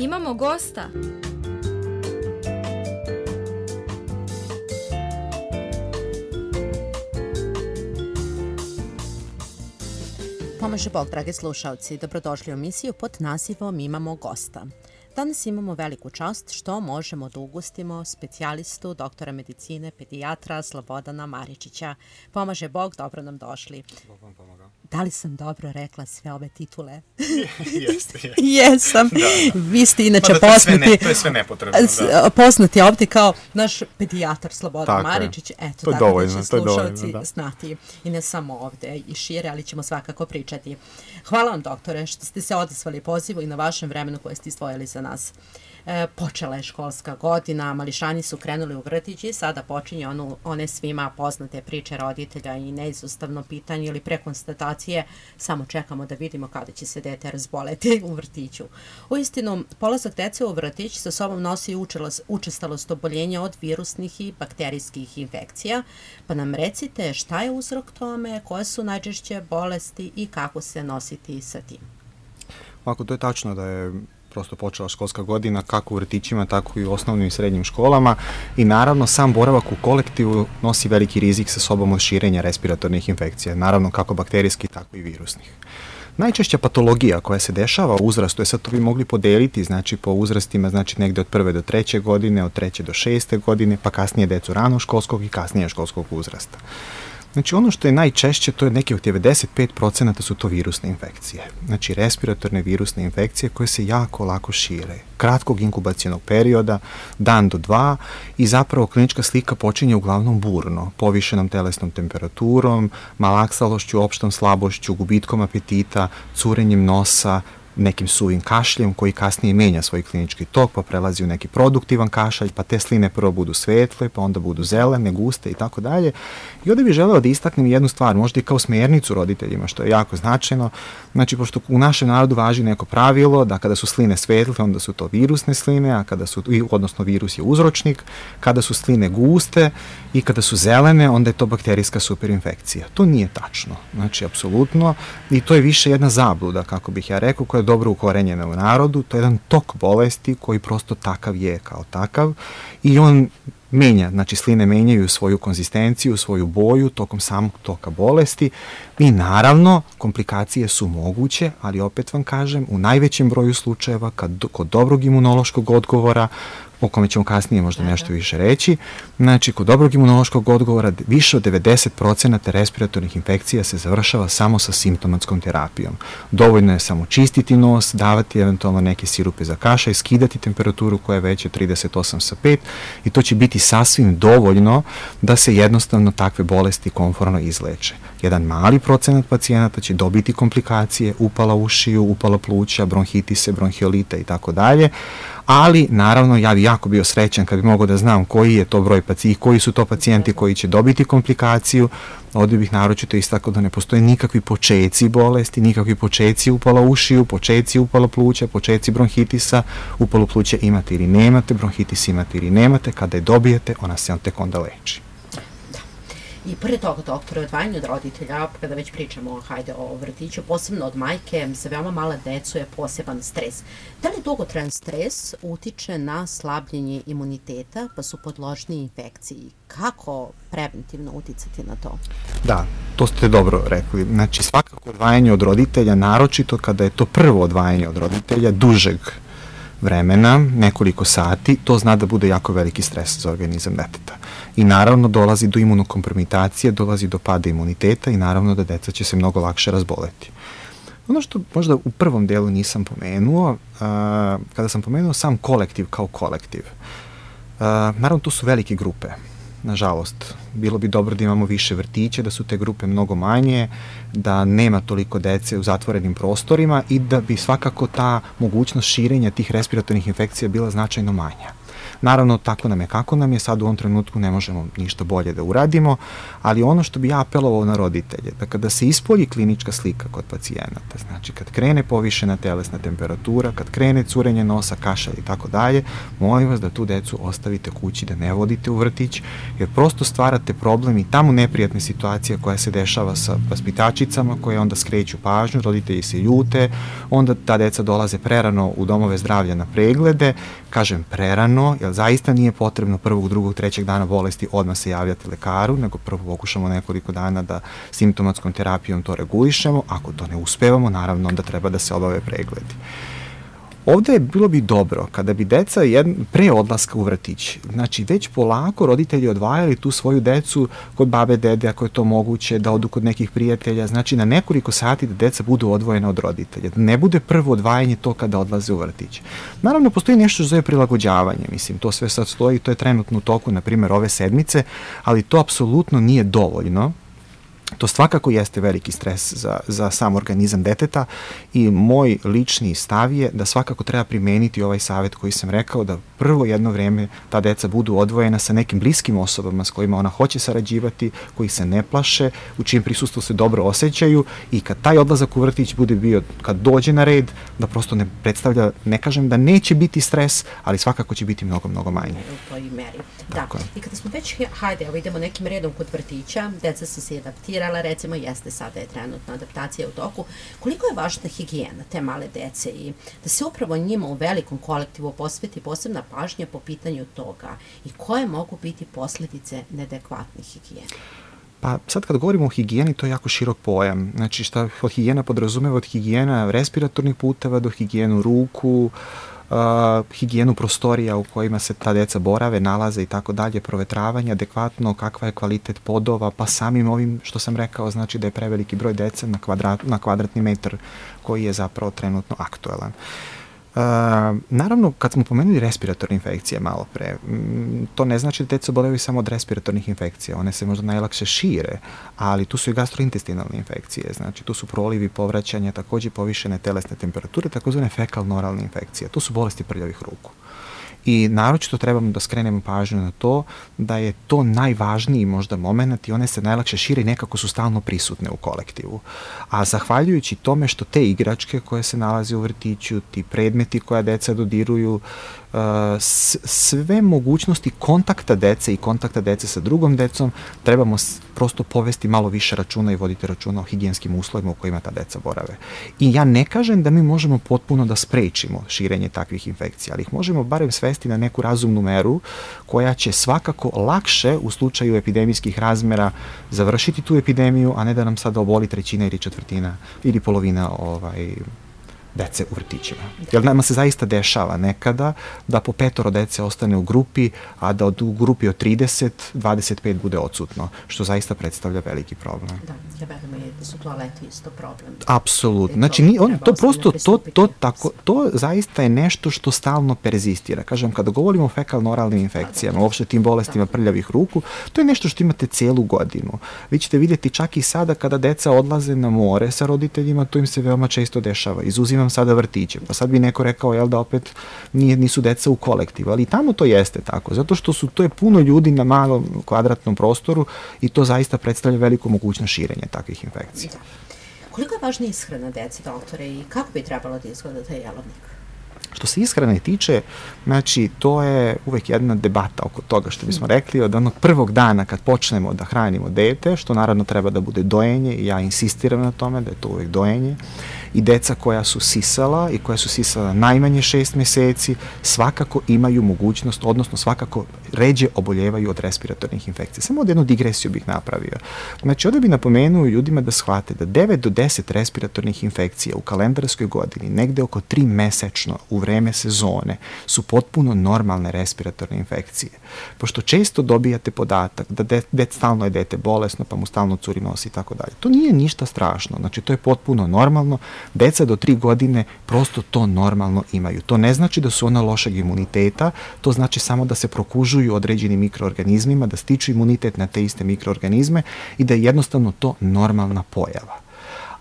Imamo gosta. Pomaže Bog, dragi slušalci, dobrodošli u emisiju pod nazivom Imamo gosta. Danas imamo veliku čast što možemo da ugostimo specijalistu, doktora medicine, pedijatra Slobodana Maričića. Pomaže Bog, dobro nam došli. Bog vam pomagao. Da li sam dobro rekla sve ove titule? Jeste. Jesam. Da. Vi ste inače to poznati. To je sve nepotrebno, da. Poznati ovdje kao naš pedijatar Slobodan Tako Maričić. Eto, to je tako dovoljno, da će to je slušalci dovoljno, da. znati. I ne samo ovdje i šire, ali ćemo svakako pričati. Hvala vam, doktore, što ste se odazvali pozivu i na vašem vremenu koje ste izdvojili za nas. Počela je školska godina, mališani su krenuli u vrtić i sada počinje one svima poznate priče roditelja i neizostavno pitanje ili prekonstatacije, samo čekamo da vidimo kada će se dete razboleti u vrtiću. Uistinu, polazak dece u vrtić sa sobom nosi učestalost oboljenja od virusnih i bakterijskih infekcija, pa nam recite šta je uzrok tome, koje su najčešće bolesti i kako se nositi sa tim. Ovako, to je tačno da je prosto počela školska godina kako u vrtićima, tako i u osnovnim i srednjim školama i naravno sam boravak u kolektivu nosi veliki rizik sa sobom od širenja respiratornih infekcija, naravno kako bakterijskih, tako i virusnih. Najčešća patologija koja se dešava u uzrastu, sad to bi mogli podeliti, znači po uzrastima, znači negde od 1. do 3. godine, od 3. do 6. godine, pa kasnije decu rano školskog i kasnije školskog uzrasta. Znači ono što je najčešće, to je neki od 95% su to virusne infekcije. Znači respiratorne virusne infekcije koje se jako lako šire. Kratkog inkubacionog perioda, dan do 2 i zapravo klinička slika počinje uglavnom burno, povišenom telesnom temperaturom, malaksalošću, opštom slabošću, gubitkom apetita, curenjem nosa, nekim suvim kašljem koji kasnije menja svoj klinički tok, pa prelazi u neki produktivan kašalj, pa te sline prvo budu svetle, pa onda budu zelene, guste i tako dalje. I ovdje bih želeo da istaknem jednu stvar, možda i kao smernicu roditeljima, što je jako značajno. Znači, pošto u našem narodu važi neko pravilo da kada su sline svetle, onda su to virusne sline, a kada su, odnosno virus je uzročnik, kada su sline guste i kada su zelene, onda je to bakterijska superinfekcija. To nije tačno, znači, apsolutno, i to je više jedna zabluda, kako bih ja rekao, koja je dobro ukorenjena u narodu, to je jedan tok bolesti koji prosto takav je kao takav i on menja, znači sline menjaju svoju konzistenciju, svoju boju tokom samog toka bolesti i naravno komplikacije su moguće, ali opet vam kažem, u najvećem broju slučajeva kod dobrog imunološkog odgovora, o kome ćemo kasnije možda nešto više reći, znači kod dobrog imunološkog odgovora više od 90% respiratornih infekcija se završava samo sa simptomatskom terapijom. Dovoljno je samo čistiti nos, davati eventualno neke sirupe za kašalj, skidati temperaturu koja je veća 38,5 i to će biti sasvim dovoljno da se jednostavno takve bolesti komforno izleče. Jedan mali procenat pacijenata će dobiti komplikacije, upala ušiju, upala pluća, bronhitise, bronhiolite i tako dalje, ali naravno ja bi jako bio srećan kad bi mogao da znam koji je to broj pacijenta, koji su to pacijenti koji će dobiti komplikaciju. Ovdje bih naročito istakao da ne postoje nikakvi počeci bolesti, nikakvi počeci upala ušiju, počeci upala pluća, počeci bronhitisa, upalu pluća imate ili nemate, bronhitis imate ili nemate, kada je dobijete, ona se tek onda leči. I pored toga, doktore, odvajanje od roditelja, kada već pričamo o vrtiću, posebno od majke, za veoma mala decu je poseban stres. Da li dugotrajan stres utiče na slabljenje imuniteta, pa su podložni infekciji? Kako preventivno uticati na to? Da, to ste dobro rekli. Znači, svakako odvajanje od roditelja, naročito kada je to prvo odvajanje od roditelja, dužeg vremena, nekoliko sati, to zna da bude jako veliki stres za organizam deteta. I naravno dolazi do imunokompromitacije, dolazi do pada imuniteta i naravno da deca će se mnogo lakše razboleti. Ono što možda u prvom delu nisam pomenuo, kada sam pomenuo sam kolektiv kao kolektiv, naravno tu su velike grupe. Nažalost, bilo bi dobro da imamo više vrtića, da su te grupe mnogo manje, da nema toliko dece u zatvorenim prostorima i da bi svakako ta mogućnost širenja tih respiratornih infekcija bila značajno manja. Naravno, tako nam je kako nam je, sad u ovom trenutku ne možemo ništa bolje da uradimo, ali ono što bi ja apelovao na roditelje, da kada se ispolji klinička slika kod pacijenata, znači kad krene povišena telesna temperatura, kad krene curenje nosa, kašalj i tako dalje, molim vas da tu decu ostavite kući, da ne vodite u vrtić, jer prosto stvarate problem i tamo neprijatne situacije koja se dešava sa vaspitačicama, koje onda skreću pažnju, roditelji se ljute, onda ta deca dolaze prerano u domove zdravlja na preglede, kažem prerano, jer zaista nije potrebno prvog, drugog, trećeg dana bolesti odmah se javljati lekaru, nego prvo pokušamo nekoliko dana da simptomatskom terapijom to regulišemo, ako to ne uspevamo, naravno onda treba da se obave pregledi. Ovde je bilo bi dobro kada bi deca pre odlaska u vrtić, znači već polako roditelji odvajali tu svoju decu kod babe, dede, ako je to moguće, da odu kod nekih prijatelja, znači na nekoliko sati da deca budu odvojena od roditelja, da ne bude prvo odvajanje to kada odlaze u vrtić. Naravno, postoji nešto što zove prilagođavanje, mislim, to sve sad stoji, to je trenutno u toku, na primjer, ove sedmice, ali to apsolutno nije dovoljno. To svakako jeste veliki stres za sam organizam deteta i moj lični stav je da svakako treba primeniti ovaj savjet koji sam rekao, da prvo jedno vreme ta deca budu odvojena sa nekim bliskim osobama s kojima ona hoće sarađivati, koji se ne plaše, u čijem prisustvu se dobro osjećaju i kad taj odlazak u vrtić bude bio, kad dođe na red, da prosto ne predstavlja, ne kažem da neće biti stres, ali svakako će biti mnogo, mnogo manje. U toj meri. Da. I kada smo već, hajde, idemo nekim redom kod vrtića, deca su se adaptirala, recimo jeste sada je trenutna adaptacija u toku, koliko je važna higijena te male dece i da se upravo njima u velikom kolektivu posveti posebna pažnja po pitanju toga i koje mogu biti posledice neadekvatne higijene? Pa sad kad govorimo o higijeni, to je jako širok pojam. Znači šta od higijena podrazumeva od higijena respiratornih puteva do higijenu ruku, higijenu prostorija u kojima se ta deca borave, nalaze i tako dalje, provetravanje, adekvatno, kakva je kvalitet podova, pa samim ovim što sam rekao, znači da je preveliki broj dece na kvadratni metar koji je zapravo trenutno aktuelan. Naravno, kad smo pomenuli respiratorne infekcije malo pre, to ne znači da deca obolevaju samo od respiratornih infekcija, one se možda najlakše šire, ali tu su i gastrointestinalne infekcije, znači tu su prolivi, povraćanja, takođe povišene telesne temperature, takozvane fekalno-oralne infekcije, tu su bolesti prljavih ruku. I naročito trebamo da skrenemo pažnju na to da je to najvažniji možda moment i one se najlakše šire i nekako su stalno prisutne u kolektivu. A zahvaljujući tome što te igračke koje se nalaze u vrtiću, ti predmeti koja deca dodiruju, sve mogućnosti kontakta dece i kontakta dece sa drugom decom, trebamo prosto povesti malo više računa i voditi računa o higijenskim uslovima u kojima ta deca borave. I ja ne kažem da mi možemo potpuno da sprečimo širenje takvih infekcija, ali ih možemo barem svesti na neku razumnu meru koja će svakako lakše u slučaju epidemijskih razmera završiti tu epidemiju, a ne da nam sada oboli trećina ili četvrtina ili polovina dece u vrtićima. Jer nama se zaista dešava nekada da po 5 dece ostane u grupi, a da u grupi od 30, 25 bude odsutno, što zaista predstavlja veliki problem. Da, ja verujem da su toaleti isto problem. Apsolutno. Znači, to prosto, to zaista je nešto što stalno perzistira. Kažem, kada govorimo o fekalno-oralnim infekcijama, uopšte tim bolestima prljavih ruku, to je nešto što imate celu godinu. Vi ćete vidjeti čak i sada kada deca odlaze na more sa roditeljima, to im se veoma često dešava. Izuzimam sada vrtiće. Pa sad bi neko rekao, jel da opet nisu deca u kolektivu, ali tamo to jeste tako, zato što to je puno ljudi na malom kvadratnom prostoru i to zaista predstavlja veliku mogućnost širenja takvih infekcija. Da. Koliko je važna ishrana dece, doktore, i kako bi trebalo da izgleda taj jelovnik? Što se ishrane tiče, znači, to je uvek jedna debata oko toga, što bismo rekli, od onog prvog dana kad počnemo da hranimo dete, što naravno treba da bude dojenje, i ja insistiram na tome da je to uvek dojenje, i deca koja su sisala i koja su sisala najmanje 6 meseci, svakako imaju mogućnost, odnosno svakako ređe oboljevaju od respiratornih infekcija. Samo od jednu digresiju bih napravio. Znači, ovdje bih napomenuo ljudima da shvate da 9 do 10 respiratornih infekcija u kalendarskoj godini, negde oko 3 mesečno u vreme sezone, su potpuno normalne respiratorne infekcije. Pošto često dobijate podatak da stalno je dete bolesno, pa mu stalno curi nos i tako dalje. To nije ništa strašno, znači to je potpuno normalno. Deca do 3 godine prosto to normalno imaju. To ne znači da su ona lošeg imuniteta, to znači samo da se prokužuju određeni mikroorganizmima, da stiču imunitet na te iste mikroorganizme i da je jednostavno to normalna pojava.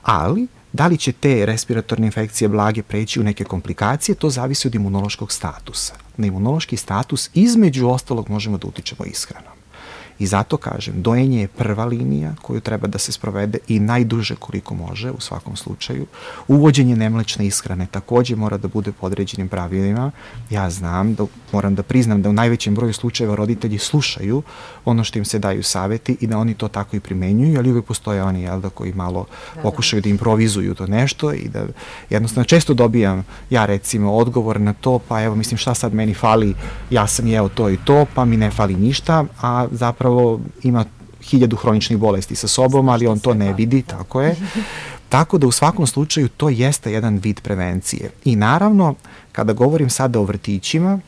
Ali Da li će te respiratorne infekcije blage preći u neke komplikacije, to zavisi od imunološkog statusa. Na imunološki status između ostalog možemo da utičemo ishranom. I zato kažem, dojenje je prva linija koju treba da se sprovede i najduže koliko može u svakom slučaju. Uvođenje nemlečne ishrane takođe mora da bude po određenim pravilima. Ja znam, moram da priznam da u najvećem broju slučajeva roditelji slušaju ono što im se daju saveti i da oni to tako i primenjuju, ali uvek postoje oni koji malo pokušaju da improvizuju to nešto i da jednostavno često dobijam ja recimo odgovor na to, pa evo mislim šta sad meni fali, ja sam jeo to i to, pa mi ne fali ništa, a zapravo ima 1000 hroničnih bolesti sa sobom, ali on to ne vidi, tako je. Tako da u svakom slučaju to jeste jedan vid prevencije. I naravno, kada govorim sada o vrtićima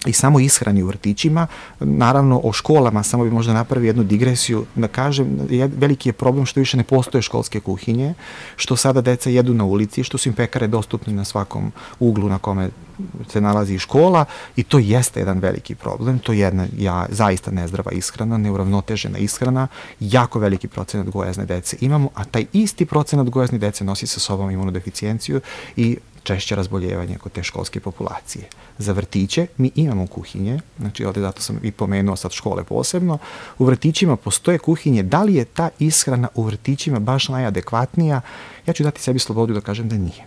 i samo ishrani u vrtićima, naravno o školama, samo bi možda napravio jednu digresiju, da kažem, veliki je problem što više ne postoje školske kuhinje, što sada deca jedu na ulici, što su im pekare dostupne na svakom uglu na kome se nalazi škola i to jeste jedan veliki problem, to je jedna zaista nezdrava ishrana, neuravnotežena ishrana, jako veliki procenat gojazne dece imamo, a taj isti procenat gojazne dece nosi sa sobom imunodeficijenciju i češće razboljevanje kod te školske populacije. Za vrtiće mi imamo kuhinje, znači ovde zato sam i pomenuo sad škole posebno, u vrtićima postoje kuhinje, da li je ta ishrana u vrtićima baš najadekvatnija, ja ću dati sebi slobodu da kažem da nije.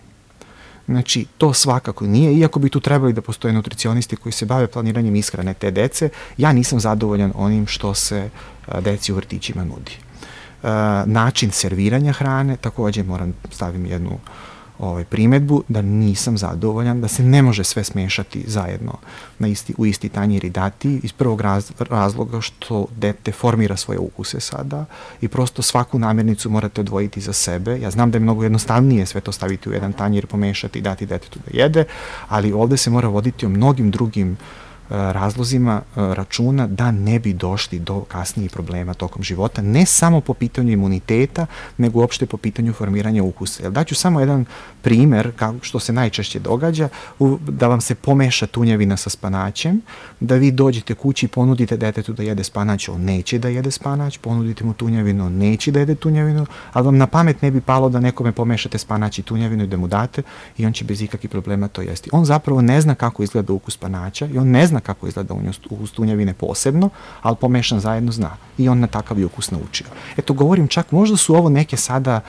Znači, to svakako nije, iako bi tu trebali da postoje nutricionisti koji se bave planiranjem ishrane te dece, ja nisam zadovoljan onim što se deci u vrtićima nudi. Način serviranja hrane, takođe moram stavim jednu primetbu da nisam zadovoljan, da se ne može sve smešati zajedno u isti tanjir i dati iz prvog razloga što dete formira svoje ukuse sada i prosto svaku namirnicu morate odvojiti za sebe. Ja znam da je mnogo jednostavnije sve to staviti u jedan tanjir, pomešati i dati detetu da jede, ali ovde se mora voditi o mnogim drugim razlozima računa da ne bi došli do kasnijih problema tokom života, ne samo po pitanju imuniteta, nego uopšte po pitanju formiranja ukusa. Daću samo jedan primer što se najčešće događa, da vam se pomeša tunjevina sa spanaćem, da vi dođete kući i ponudite detetu da jede spanać, on neće da jede spanać, ponudite mu tunjevinu, on neće da jede tunjevinu, ali vam na pamet ne bi palo da nekome pomešate spanać i tunjevinu i da mu date i on će bez ikakvih problema to jesti. On zapravo ne zna kako izgleda ukus spanaća i on ne zna kako izgleda ukus tunjevine posebno, ali pomešan zajedno zna i on na takav je ukus naučio. Eto, govorim čak, možda su ovo neke sada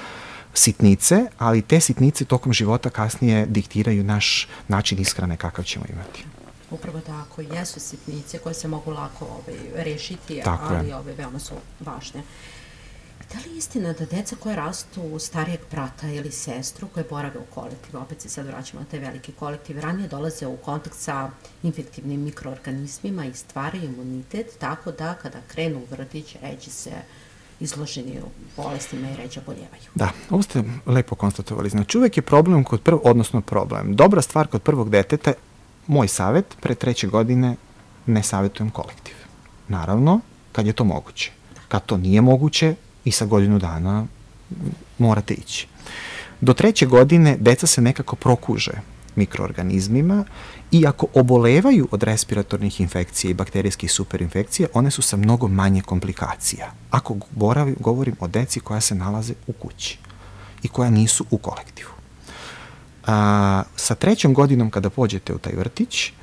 sitnice, ali te sitnice tokom života kasnije diktiraju naš način ishrane kakav ćemo imati. Upravo tako, jesu sitnice koje se mogu lako rešiti, ali veoma su važne. Da li je istina da deca koje rastu u starijeg brata ili sestru koje borave u kolektivu, opet se sad vraćamo na te velike kolektive, ranije dolaze u kontakt sa infektivnim mikroorganizmima i stvaraju imunitet, tako da kada krenu u vrtić, ređe se izloženi u bolestima i ređe oboljevaju. Da, ovo ste lepo konstatovali. Znači, uvek je problem dobra stvar kod prvog deteta, moj savet, pre 3. godine ne savetujem kolektiv. Naravno, kad je to moguće. Kad to nije moguće, i sa godinu dana morate ići. Do 3. godine deca se nekako prokuže mikroorganizmima i ako obolevaju od respiratornih infekcija i bakterijskih superinfekcija, one su sa mnogo manje komplikacija. Ako govorim o deci koja se nalaze u kući i koja nisu u kolektivu. Sa 3. godinom kada pođete u taj vrtić,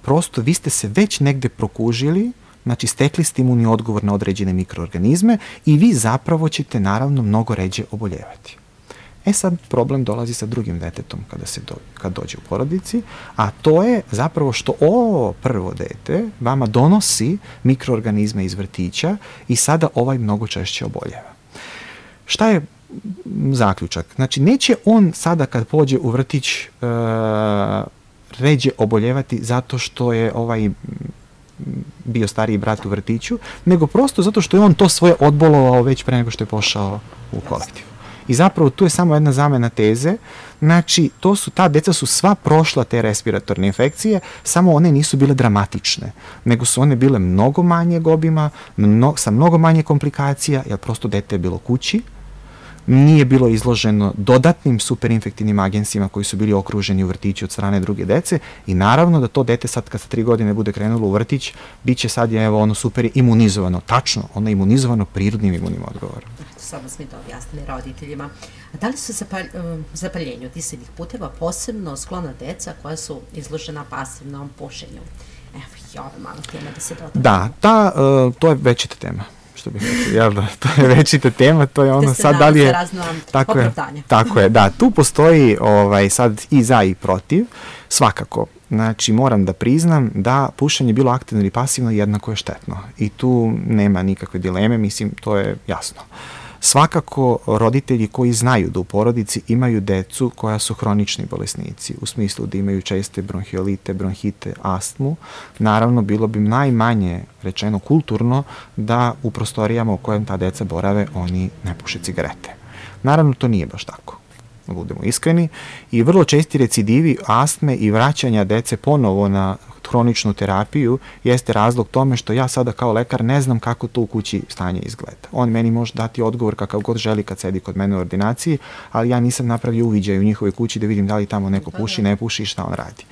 prosto vi ste se već negde prokužili, znači stekli ste imunni odgovor na određene mikroorganizme i vi zapravo ćete naravno mnogo ređe oboljevati. Sad problem dolazi sa drugim detetom kad dođe u porodici, a to je zapravo što ovo prvo dete vama donosi mikroorganizme iz vrtića i sada ovaj mnogo češće oboljeva. Šta je zaključak? Znači neće on sada kad pođe u vrtić ređe oboljevati zato što je ovaj bio stariji brat u vrtiću, nego prosto zato što je on to svoje odbolovao već pre nego što je pošao u kolektiv. I zapravo tu je samo jedna zamena teze, znači ta deca su sva prošla te respiratorne infekcije, samo one nisu bile dramatične, nego su one bile mnogo manjeg obima, sa mnogo manje komplikacija, jer prosto dete je bilo kući, nije bilo izloženo dodatnim superinfektivnim agensima koji su bili okruženi u vrtiću od strane druge dece i naravno da to dete sad kad sa 3 godine bude krenulo u vrtić, bit će sad super imunizovano, tačno, ono je imunizovano prirodnim imunnim odgovorom. samo smo mi to objasnili roditeljima. A da li su zapaljenju disajnih puteva posebno sklona deca koja su izložena pasivnom pušenju? Evo, i ova malo tema da se doda. Da, to je večita tema. Što bih rekao, jel da, to je večita tema, to je ono sad da li je... Tako je, da, tu postoji sad i za i protiv, svakako. Znači, moram da priznam da pušenje bilo aktivno ili pasivno jednako je štetno i tu nema nikakve dileme, mislim, to je jasno. Svakako, roditelji koji znaju da u porodici imaju decu koja su hronični bolesnici, u smislu da imaju česte bronhiolite, bronhite, astmu, naravno, bilo bi najmanje rečeno kulturno da u prostorijama u kojem ta deca borave oni ne puše cigarete. Naravno, to nije baš tako, budemo iskreni, i vrlo česti recidivi astme i vraćanja dece ponovo na hroničnu terapiju jeste razlog tome što ja sada kao lekar ne znam kako to u kući stanje izgleda. On meni može dati odgovor kakav god želi kad sedi kod mene u ordinaciji, ali ja nisam napravio uviđaj u njihovoj kući da vidim da li tamo neko puši, ne puši i šta on radi.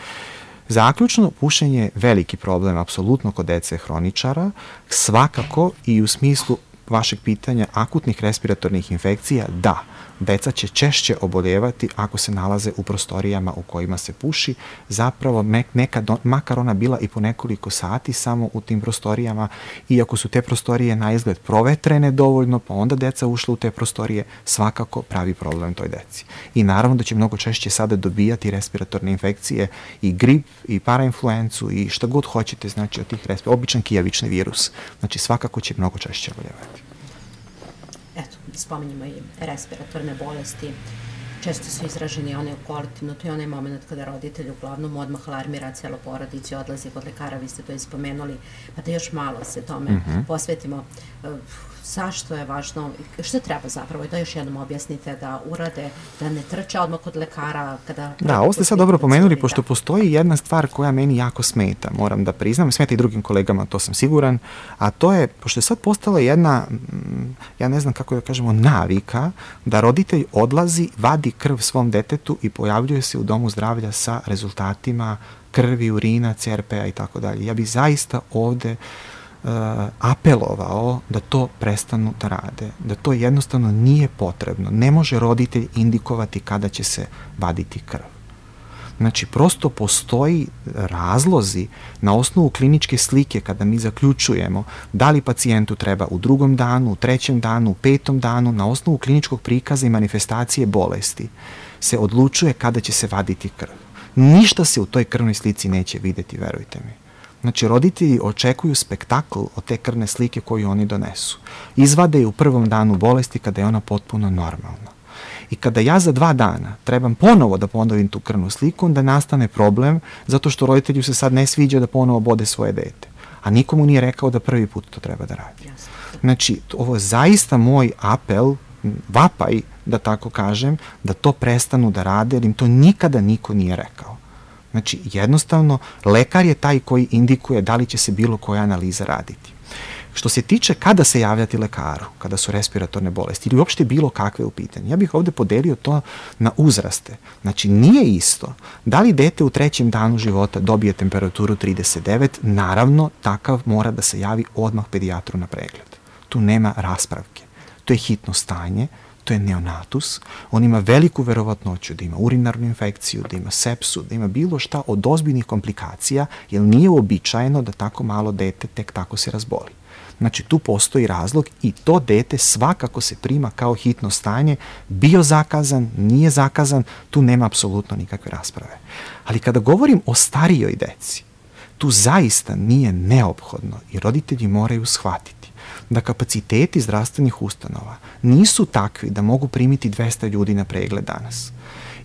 Zaključno, pušenje je veliki problem, apsolutno kod dece hroničara, svakako i u smislu vašeg pitanja akutnih respiratornih infekcija, da, deca će češće oboljevati ako se nalaze u prostorijama u kojima se puši, zapravo nekad, makar ona bila i po nekoliko sati samo u tim prostorijama, iako su te prostorije na izgled provetrene dovoljno, pa onda deca ušla u te prostorije, svakako pravi problem toj deci. I naravno da će mnogo češće sada dobijati respiratorne infekcije, i grip, i parainfluencu, i šta god hoćete, znači od tih običan kijavični virus. Znači svakako će mnogo češće oboljevati. Eto, spominjamo i respiratorne bolesti, često su izraženi one kolektivno, to je onaj moment kada roditelj uglavnom odmah alarmira celo porodici, odlazi kod lekara, vi ste to ispomenuli, pa da još malo se tome posvetimo. Zašto je važno, što treba zapravo, i da još jednom objasnite da urade, da ne trče odmah kod lekara. Da, ovo ste sad dobro pomenuli, pošto postoji jedna stvar koja meni jako smeta, moram da priznam, smeta i drugim kolegama, to sam siguran, a to je, pošto je sad postala jedna, ja ne znam kako da kažemo, navika, da roditelj odlazi, vadi krv svom detetu i pojavljuje se u domu zdravlja sa rezultatima krvi, urina, CRP-a i tako dalje. Ja bih zaista ovde apelovao da to prestanu da rade, da to jednostavno nije potrebno. Ne može roditelj indikovati kada će se vaditi krv. Znači, prosto postoji razlozi na osnovu kliničke slike kada mi zaključujemo da li pacijentu treba u 2. danu, u 3. danu, u 5. danu, na osnovu kliničkog prikaza i manifestacije bolesti se odlučuje kada će se vaditi krv. Ništa se u toj krvnoj slici neće videti, verujte mi. Znači, roditelji očekuju spektakl od te krvne slike koju oni donesu. Izvade je u 1. danu bolesti kada je ona potpuno normalna. I kada ja za 2 dana trebam ponovo da ponovim tu krvnu sliku, onda nastane problem zato što roditelju se sad ne sviđa da ponovo bode svoje dete. A nikomu nije rekao da prvi put to treba da radi. Znači, ovo je zaista moj apel, vapaj, da tako kažem, da to prestanu da rade, jer im to nikada niko nije rekao. Znači, jednostavno, lekar je taj koji indikuje da li će se bilo koja analiza raditi. Što se tiče kada se javljati lekaru, kada su respiratorne bolesti ili uopšte bilo kakve u pitanju, ja bih ovde podelio to na uzraste. Znači, nije isto da li dete u 3. danu života dobije temperaturu 39, naravno, takav mora da se javi odmah pedijatru na pregled. Tu nema raspravke. To je hitno stanje, to je neonatus, on ima veliku verovatnoću da ima urinarnu infekciju, da ima sepsu, da ima bilo šta od ozbiljnih komplikacija, jer nije uobičajeno da tako malo dete tek tako se razboli. Znači, tu postoji razlog i to dete svakako se prima kao hitno stanje, bio zakazan, nije zakazan, tu nema apsolutno nikakve rasprave. Ali kada govorim o starijoj deci, tu zaista nije neophodno i roditelji moraju shvatiti da kapaciteti zdravstvenih ustanova nisu takvi da mogu primiti 200 ljudi na pregled danas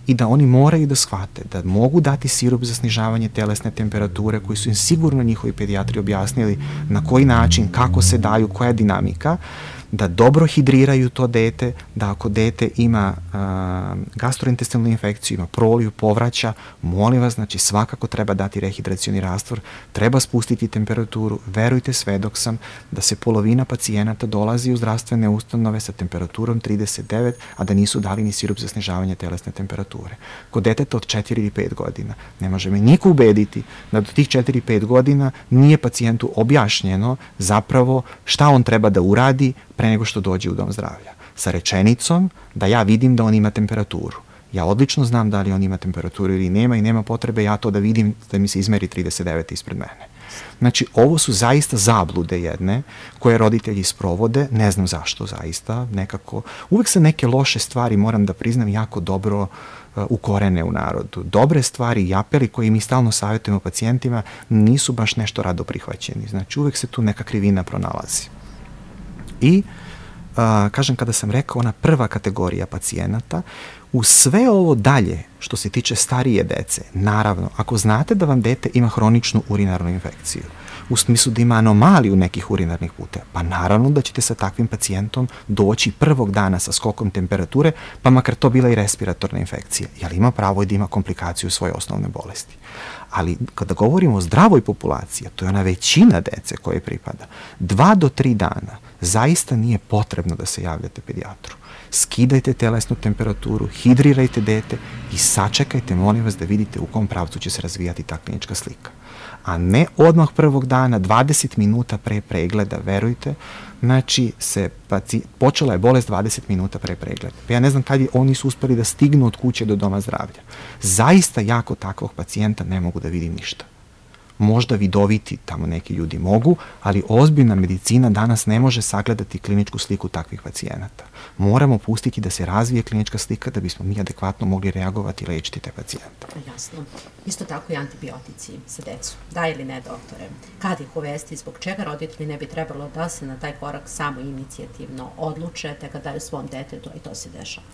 i da oni moraju da shvate da mogu dati sirup za snižavanje telesne temperature koji su im sigurno njihovi pedijatri objasnili na koji način, kako se daju, koja je dinamika, da dobro hidriraju to dete, da ako dete ima gastrointestinalnu infekciju, ima proliju, povraća, molim vas, znači svakako treba dati rehidracioni rastvor, treba spustiti temperaturu, verujte, svedok sam da se polovina pacijenata dolazi u zdravstvene ustanove sa temperaturom 39, a da nisu dali ni sirup za snižavanje telesne temperature. Kod deteta od 4 ili 5 godina ne može me niko ubediti da do tih 4-5 godina nije pacijentu objašnjeno zapravo šta on treba da uradi pre nego što dođe u dom zdravlja. sa rečenicom da ja vidim da on ima temperaturu. Ja odlično znam da li on ima temperaturu ili nema i nema potrebe ja to da vidim da mi se izmeri 39 ispred mene. Znači, ovo su zaista zablude jedne koje roditelji sprovode, ne znam zašto zaista, nekako. Uvek se neke loše stvari, moram da priznam, jako dobro ukorene u narodu. Dobre stvari i apeli koje mi stalno savjetujemo pacijentima nisu baš nešto rado prihvaćeni. Znači, uvek se tu neka krivina pronalazi. I, kažem, kada sam rekao ona prva kategorija pacijenata, u sve ovo dalje, što se tiče starije dece, naravno, ako znate da vam dete ima hroničnu urinarnu infekciju, u smislu da ima anomaliju nekih urinarnih puteva, pa naravno da ćete sa takvim pacijentom doći prvog dana sa skokom temperature, pa makar to bila i respiratorna infekcija, jer ima pravo i da ima komplikaciju svoje osnovne bolesti. Ali kada govorimo o zdravoj populaciji, to je ona većina dece koje pripada, 2 do 3 dana zaista nije potrebno da se javljate pedijatru. Skidajte telesnu temperaturu, hidrirajte dete i sačekajte, molim vas, da vidite u kom pravcu će se razvijati ta klinička slika. A ne odmah prvog dana, 20 minuta pre pregleda, verujte, znači počela je bolest 20 minuta pre pregleda. Pa ja ne znam kad oni su uspeli da stignu od kuće do doma zdravlja. Zaista jako takvog pacijenta ne mogu da vidim ništa. Možda vidoviti tamo neki ljudi mogu, ali ozbiljna medicina danas ne može sagledati kliničku sliku takvih pacijenata. Moramo pustiti da se razvije klinička slika da bismo mi adekvatno mogli reagovati i lečiti te pacijente. Jasno. Isto tako i antibiotici za decu. Da ili ne, doktore? Kad ih uvesti, zbog čega roditelji ne bi trebalo da se na taj korak samo inicijativno odluče, te kad daju svom detetu i to se dešava?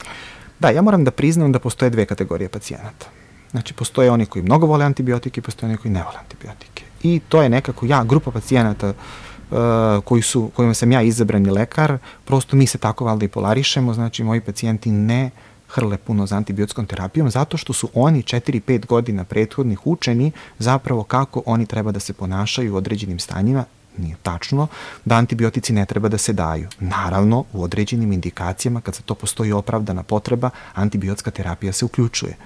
Da, ja moram da priznam da postoje 2 kategorije pacijenata. Znači, postoje oni koji mnogo vole antibiotike i postoje oni koji ne vole antibiotike. I to je nekako grupa pacijenata kojima sam ja izabrani lekar, prosto mi se tako valjda i polarišemo, znači moji pacijenti ne hrle puno za antibiotskom terapijom, zato što su oni 4-5 godina prethodnih učeni zapravo kako oni treba da se ponašaju u određenim stanjima. Nije tačno da antibiotici ne treba da se daju. Naravno, u određenim indikacijama, kad za to postoji opravdana potreba, antibiotska terapija se uključuje.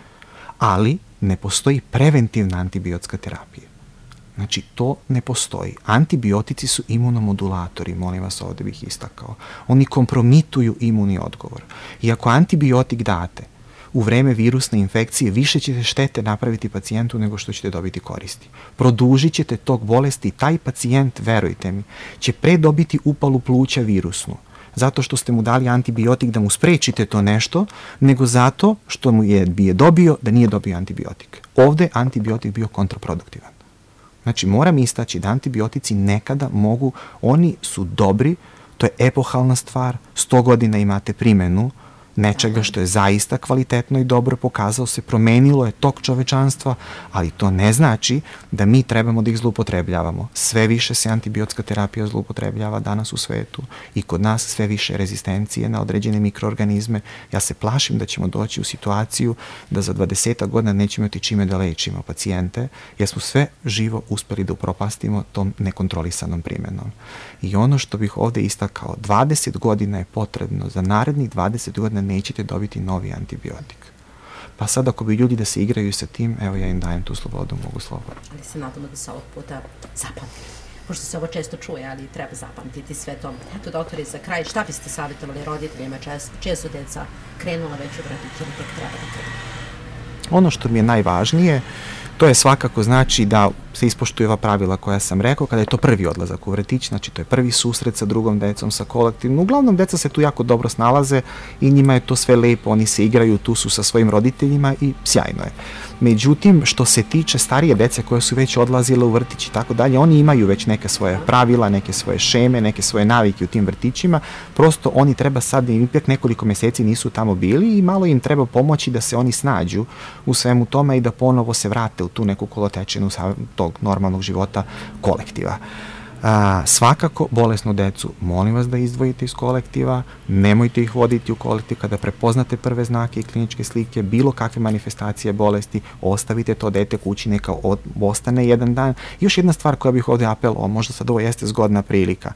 Ali ne postoji preventivna antibiotska terapija. Znači, to ne postoji. Antibiotici su imunomodulatori, molim vas, ovde bih istakao. Oni kompromituju imunni odgovor. I ako antibiotik date u vreme virusne infekcije, više ćete štete napraviti pacijentu nego što ćete dobiti koristi. Produžit ćete tok bolesti i taj pacijent, verujte mi, će pre dobiti upalu pluća virusnu, zato što ste mu dali antibiotik da mu sprečite to nešto, nego zato što mu je dobio da nije dobio antibiotik. Ovde antibiotik bio kontraproduktivan. Znači, moram istaći da antibiotici nekada mogu, oni su dobri, to je epohalna stvar, 100 godina imate primenu nečega što je zaista kvalitetno i dobro, pokazao se, promenilo je tok čovečanstva, ali to ne znači da mi trebamo da ih zloupotrebljavamo. Sve više se antibiotska terapija zloupotrebljava danas u svetu i kod nas sve više rezistencije na određene mikroorganizme. Ja se plašim da ćemo doći u situaciju da za 20 godina nećemo imati čime da lečimo pacijente, jer smo sve živo uspeli da upropastimo tom nekontrolisanom primenom. I ono što bih ovde istakao, 20 godina je potrebno, za narednih 20 godina nećete dobiti novi antibiotik. Pa sad ako bi ljudi da se igraju sa tim, evo ja im dajem tu slobodu, mogu slobodno. Ali se nadamo da se ovog puta zapamti. Pošto se ovo često čuje, ali treba zapamtiti sve to. Eto, doktore, za kraj, šta biste savjetovali roditeljima čije su deca krenula već u vrtić ili tek treba da krenu? Ono što mi je najvažnije, to je svakako znači da se ispoštuju ova pravila koja sam rekao, kada je to prvi odlazak u vrtić, znači to je prvi susret sa drugom decom, sa kolektivnom. Uglavnom, deca se tu jako dobro snalaze i njima je to sve lepo, oni se igraju, tu su sa svojim roditeljima i sjajno je. Međutim, što se tiče starije dece koje su već odlazile u vrtić i tako dalje, oni imaju već neke svoje pravila, neke svoje šeme, neke svoje navike u tim vrtićima, prosto oni treba sad, ipak nekoliko meseci nisu tamo bili i malo im treba pomoći da se oni snađu u svemu tome i da ponovo se vrate u tu neku kolotečinu tog normalnog života kolektiva. Svakako, bolesnu decu, molim vas da izdvojite iz kolektiva, nemojte ih voditi u kolektiv kada prepoznate prve znake i kliničke slike, bilo kakve manifestacije bolesti, ostavite to dete kući, neka ostane jedan dan. I još jedna stvar koja bih ovde apelovao, možda sad ovo jeste zgodna prilika,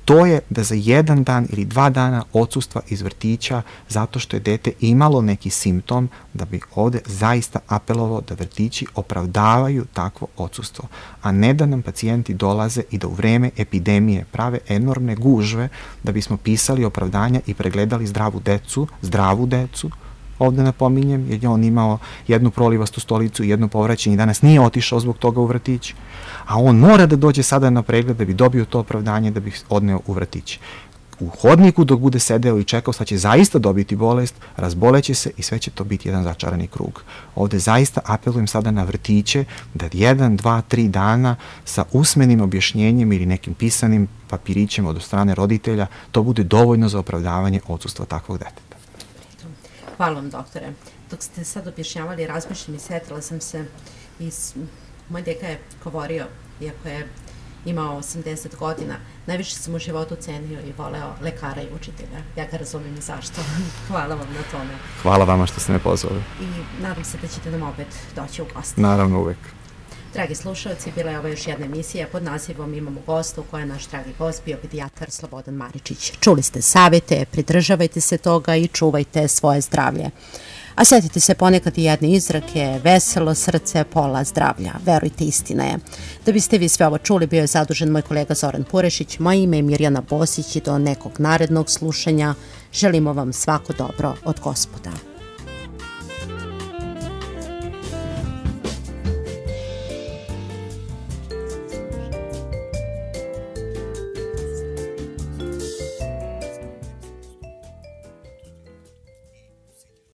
to je da za 1 dan ili 2 dana odsustva iz vrtića zato što je dete imalo neki simptom, da bi ovde zaista apelovao da vrtići opravdavaju takvo odsustvo, a ne da nam pacijenti dolaze i da u vreme epidemije prave enormne gužve da bismo pisali opravdanja i pregledali zdravu decu, ovde napominjem, jer je on imao jednu prolivastu stolicu i jedno povraćanje i danas nije otišao zbog toga u vrtić, a on mora da dođe sada na pregled da bi dobio to opravdanje da bi odneo u vrtić. U hodniku dok bude sedeo i čekao, sad će zaista dobiti bolest, razboleće se i sve će to biti jedan začarani krug. Ovde zaista apelujem sada na vrtiće da 1, 2, 3 dana sa usmenim objašnjenjem ili nekim pisanim papirićem od strane roditelja, to bude dovoljno za opravdavanje odsustva takvog deteta. Hvala vam, doktore. Dok ste sad objašnjavali, razmišljam i setila sam se moj deka je govorio, iako je imao 80 godina, najviše sam u životu cenio i voleo lekara i učitelja. Ja ga razumijem i zašto. Hvala vam na tome. Hvala vama što ste me pozvali. I nadam se da ćete nam opet doći u goste. Naravno, uvek. Dragi slušalci, bila je ovo još jedna emisija pod nazivom Imamo gosta, u kojoj je naš dragi gost bio pedijatar Slobodan Maričić. Čuli ste savete, pridržavajte se toga i čuvajte svoje zdravlje. A setite se ponekad i jedne izrake, veselo srce, pola zdravlja. Verujte, istina je. Da biste vi sve ovo čuli, bio je zadužen moj kolega Zoran Purešić, moje ime je Mirjana Bosić i do nekog narednog slušanja želimo vam svako dobro od Gospoda.